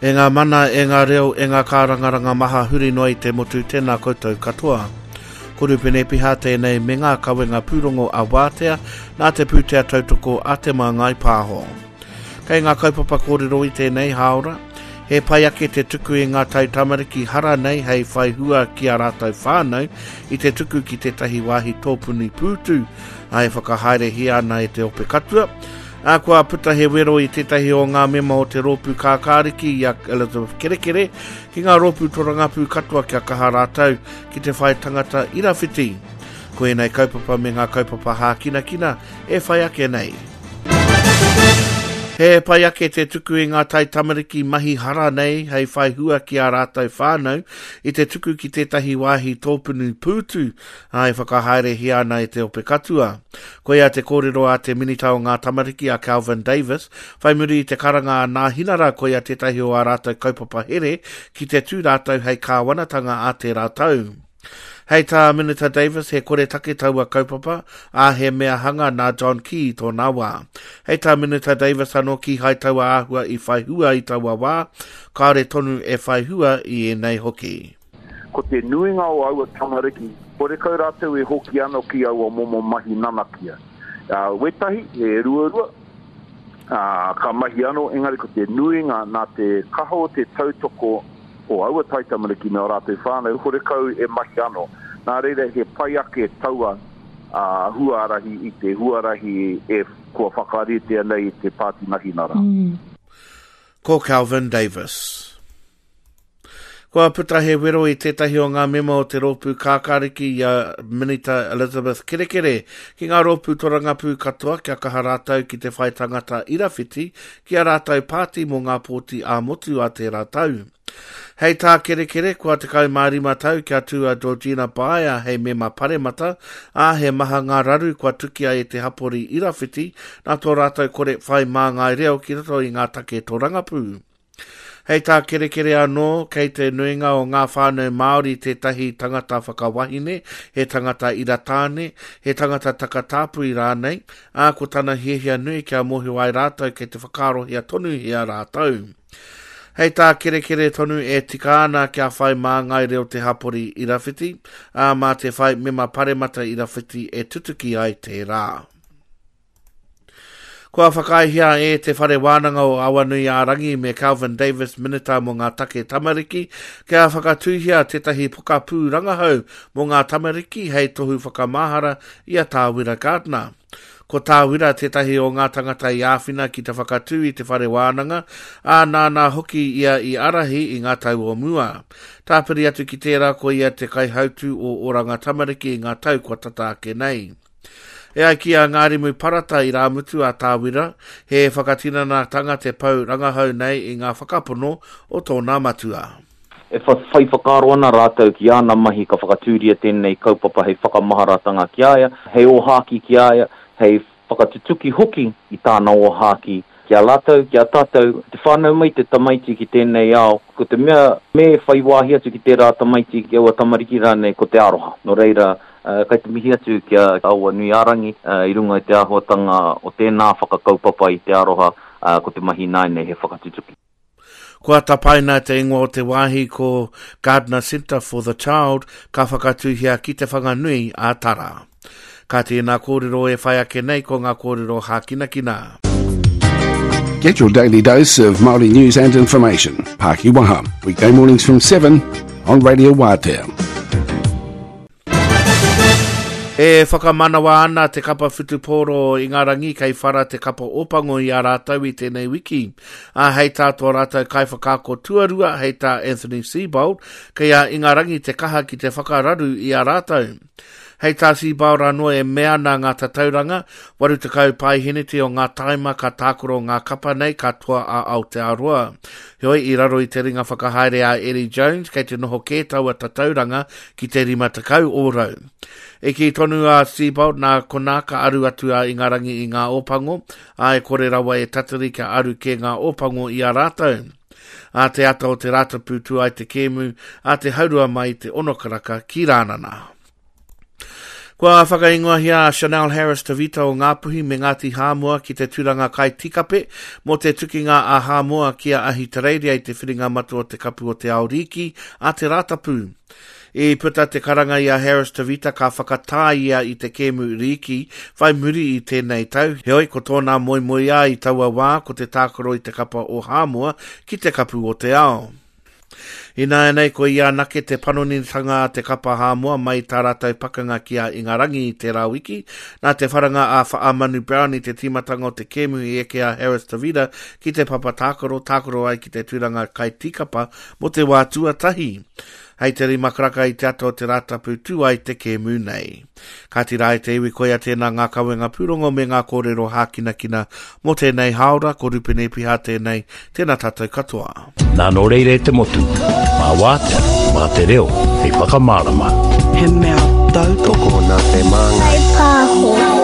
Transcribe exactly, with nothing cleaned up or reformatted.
E ngā mana, e ngā reo, e ngā kārangaranga maha huri noa i te motu, tēnā koutou katoa. Ko Rupene Piha tēnei me ngā kawenga pūrongo a Wātea, nā te pūtea tautoko a Te Māngai Pāho. Kei ngā kaupapa kōrero i tēnei hāora, he pai ake te tuku i ngā tai tamariki hara nei hei whai hua ki a rātou whānau i te tuku ki tētahi wāhi tōpuni pūtu, ai whakahaerehia ana e te ope katua. A kua puta he wero i tētahi o ngā mema o te rōpū kākāriki i a Elizabeth Kerekere ki ngā rōpū torangapū katoa kia kaha rātou ki te whai tangata irawhiti. Ko ēnei kaupapa me ngā kaupapa hākinakina e whai ake nei. He pai ake te tuku i ngā tai tamariki mahi hara nei hei whai hua ki a rātou whānau i te tuku ki tētahi wāhi tōpunu pūtu ai whakahaerehia ana e te ope katua. Koia te kōrero a te minita o ngā tamariki a Calvin Davis, whai muri i te karanga a Nāhinara koia tētahi o a rātou kaupapa here ki te tū rātou hei kāwanatanga a tērā tau. Hei tā Minita Davis, he kore take taua kaupapa, a he mea hanga nā John Key i tōna wā. Hei tā Minita Davis anō ki hai taua āhua i whai hua i taua wā, kāore tonu e whai hua i ēnei hoki. Ko te nuinga o aua tamariki, kore kau rātou e hoki anō ki aua momo mahi nanakia. Uh, wetahi, he ruarua, uh, ka mahi anō, engari ko te nuinga nā te kaha o te tautoko o aua tai tamariki me o rātou whānau, hore kau e mahi anō. Nā reira he pai ake taua uh, huarahi i te huarahi e kua whakaritea nei i te Pāti Nahinara. Mm. Ko Calvin Davis. Kua puta he wero i tētahi o ngā mema o te rōpū kākāriki i a Minita Elizabeth Kerekere ki ngā rōpū torangapū katoa kia kaha rātou ki te whai tangata irawhiti ki a rātou pāti mō ngā pōti ā-motu a tērā tau. Hei tā Kerekere, kua tekau mā rima tau kia tū a Georgina Baia hei mema paremata, ā he maha ngā raru kua tukia e te hapori irawhiti nā tō rātou kore whai māngai reo ki roto i ngā take torangapū. Hei tā Kerekere anō, kei te nuinga o ngā whānau Māori tētahi tangata whakawahine, he tangata iratāne, he tangata takatāpui rānei, ā ko tana hiahia nui kia mōhio ai rātou kei te whakaarohia tonuhia rātou. Hei tā Kerekere tonu e tika ana kia whai māngai reo te hapori irawhiti, ā mā te whai mema paremata irawhiti e tutuki ai tērā. Kua whakaaehia e te whare wānanga o Awanuiārangi me Calvin Davis Minita mō ngā take tamariki kia whakatūhia tētahi pokapū rangahau mō ngā tamariki hei tohu whakamahara i a Tāwira Gardner. Ko Tāwira tētahi o ngā tangata i āwhina ki te whakatū i te whare wānanga, ā nāna hoki ia i arahi i ngā tau o mua. Tāpiri atu ki tērā ko ia te kaihautu o Oranga Tamariki i ngā tau kua tata ake nei. E ai ki a Ngārimu Parata i Rāmutu a Tāwira, he whakatinanatanga te pau rangahau nei i ngā whakapono o tōna matua. E whai whakaaro ana rātou ki āna mahi ka whakatūria tēnei kaupapa hei whakamaharatanga ki a ia, hei ōhāki ki a ia, hei whakatutuki hoki i tāna ōhāki ki a rātou, ki a tātou. Te whānau mai te tamaiti ki tēnei ao, ko te mea me whai wāhi atu ki tērā tamaiti, ki aua tamariki rānei, ko te aroha. Nō reira, uh, kai te mihi atu ki a Awanuiārangi uh, i runga i te āhuatanga o tēnā whakakaupapa i te aroha, uh, ko te mahi nāinei he whakatutuki. Kua tapaina te ingoa o te wāhi ko Gardner Centre for the Child ka whakatūhia ki te Whanganui a Tara. Ka tēnā kōrero e whai ake nei ko ngā kōrero hākinakina. Get your daily dose of Māori news and information. Pākiwaha, weekday mornings from seven on Radio Wātea. E whakamanawa ana te kapa whutupōro i Ingarangi kei whara te kapa opango i a rātou i tēnei wiki. A hei tā tō rātou kaiwhakaako tuarua, hei tā Anthony Seibold, kei a Ingarangi te kaha ki te whakararu i a rātou. Hei tā Seibold anō e mea ana ngā tatauranga, waru tekau paiheneti o ngā taima ka tākoro ngā kapa nei katoa a Aotearoa. Heoi, i raro i te ringa whakahaere a Eddie Jones, kei te noho kē taua tatauranga ki te rima tekau ōrau. E kī tonu a Seibold nā konā ka aru atu a Ingarangi i ngā ōpango, a e kore rawa e tatari kia aru kē ngā ōpango i a rātou. A te ata o te Rātapu tū ai te kēmu, a te haurua mai te ono karaka ki Rānana. Kua whakaingoahia a Chanel Harris Tavita o Ngāpuhi me Ngāti Hāmoa ki te tūranga kai tikape mō te tukinga a Hāmoa ki a Ahitereiria i te whiringa matua o te kapu o te ao rīki a te Rātapu. I puta te karanga i a Harris Tavita ka whakatā ia i te kēmu rīki whai muri i tēnei tau. Heoi, ko tōna moemoeā i taua wā ko te tākaro i te kapa o Hāmoa ki te kapu o te ao. Ināianei ko ia anake te panonitanga a te kapa Hāmoa mai tā rātou pakanga ki a Ingarangi i tērā wiki. Nā te wharanga a Whaamanu Brown i te tīmatanga o te kēmu i eke a Harris Tavita ki te papa tākaro, tākaro ai ki te tūranga kai tīkapa mō te wā tuatahi. Hei te rima karaka i te ata o te Rātapu tū ai te kēmu nei. Kāti rā e te iwi koia tēnā ngā kawenga pūrongo me ngā kōrero hākinakina mō tēnei hāora, ko Rupene Piha tēnei, tēnā tātou katoa. Nā nō reira e te motu, mā wātea, mā te reo, hei whakamārama. He mea tautoko Tokona te māngai. Pāho.